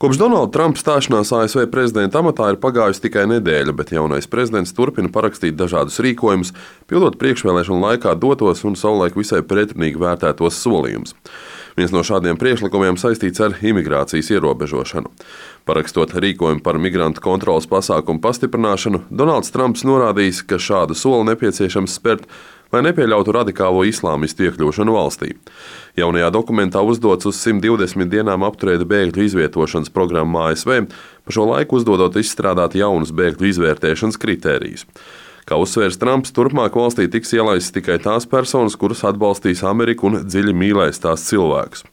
Kopš Donalda Trumpa stāšanās ASV prezidenta amatā ir pagājusi tikai nedēļa, bet jaunais prezidents turpina parakstīt dažādus rīkojumus, pildot priekšvēlēšanu laikā dotos un savulaik visai pretrunīgi vērtētos solījumus. Viens no šādiem priekšlikumiem saistīts ar imigrācijas ierobežošanu. Parakstot rīkojumu par migrantu kontrolas pasākumu pastiprināšanu, Donalds Trumps norādījis, ka šādu soli nepieciešams spērt, lai nepieļautu radikālo islāmistu iekļūšanu valstī. Jaunajā dokumentā uzdots uz 120 dienām apturēt bēgļu izvietošanas programmu ASV, pa šo laiku uzdodot izstrādāt jaunus bēgļu izvērtēšanas kritērijus. Kā uzsvērs Trumps, turpmāk valstī tiks ielaistas tikai tās personas, kuras atbalstīs Ameriku un dziļi mīlēs tās cilvēkus.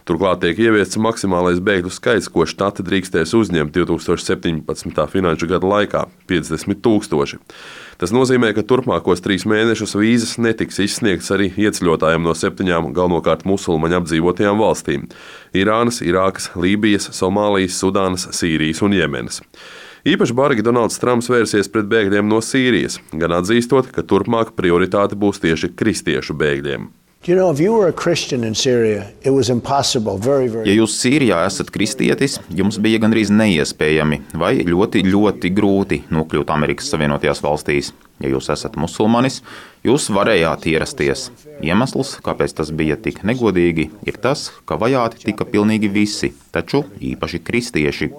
Turklāt tiek ieviests maksimālais bēgļu skaits, ko štati drīkstēs uzņemt 2017. finanšu gada laikā – 50 000. Tas nozīmē, ka turpmākos 3 mēnešus vīzas netiks izsniegtas arī ieceļotājiem no 7 galvenokārt musulmaņu apdzīvotajām valstīm – Irānas, Irākas, Lībijas, Somālijas, Sudānas, Sīrijas un Jemenas. Īpaši bargi Donalds Trumps vērsies pret bēgļiem no Sīrijas, gan atzīstot, ka turpmāk prioritāte būs tieši kristiešu bēgļiem. Ja jūs Sīrijā esat kristietis, jums bija gandrīz neiespējami vai ļoti, ļoti grūti nokļūt Amerikas Savienotajās valstīs. Ja jūs esat musulmanis, jūs varējāt ierasties. Iemesls, kāpēc tas bija tik negodīgi, ir tas, ka vajāti tika pilnīgi visi, taču īpaši kristieši.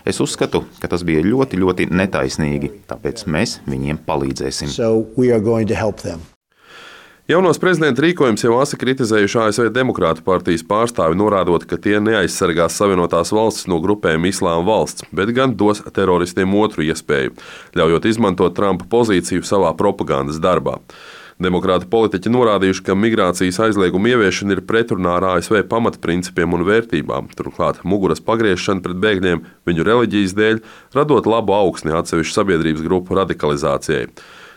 Es uzskatu, ka tas bija ļoti, ļoti netaisnīgi, tāpēc mēs viņiem palīdzēsim. Jaunos prezidenta rīkojums jau asi kritizējuši ASV Demokrātu partijas pārstāvi, norādot, ka tie neaizsargās Savienotās valstis no grupējuma Islāma valsts, bet gan dos teroristiem otru iespēju, ļaujot izmantot Trumpa pozīciju savā propagandas darbā. Demokrātu politiķi norādījuši, ka migrācijas aizlieguma ieviešana ir pretrunā ar ASV pamatprincipiem un vērtībām, turklāt muguras pagriešana pret bēgļiem viņu reliģijas dēļ, radot labu augsni atsevišķu sabiedrības grupu radikalizācijai.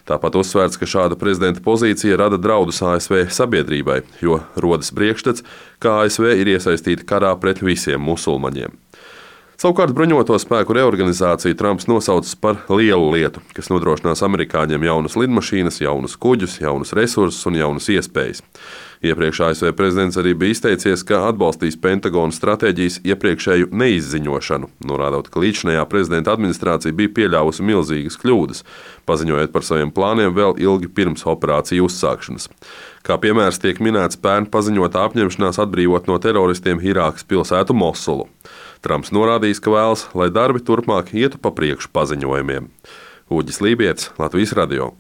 Tāpat uzsvērts, ka šāda prezidenta pozīcija rada draudus ASV sabiedrībai, jo rodas priekšstats, ka ASV ir iesaistīta karā pret visiem musulmaņiem. Savukārt bruņoto spēku reorganizāciju Trumps nosaucis par lielu lietu, kas nodrošinās amerikāņiem jaunas lidmašīnas, jaunus kuģus, jaunus resursus un jaunas iespējas. Iepriekš ASV prezidents arī bija izteicies, ka atbalstīs Pentagona stratēģijas iepriekšēju neizziņošanu, norādot, ka līdzinājā prezidenta administrācija bija pieļāvusi milzīgas kļūdas, paziņojot par saviem plāniem vēl ilgi pirms operāciju uzsākšanas. Kā piemērs tiek minēts pērn paziņotā apņemšanās atbrīvot no teroristiem Irākas pilsētu Mosulu. Trumps norādījis, ka vēlas, lai darbi turpmāk ietu pa priekšu paziņojumiem. Uģis Lībietis, Latvijas radio.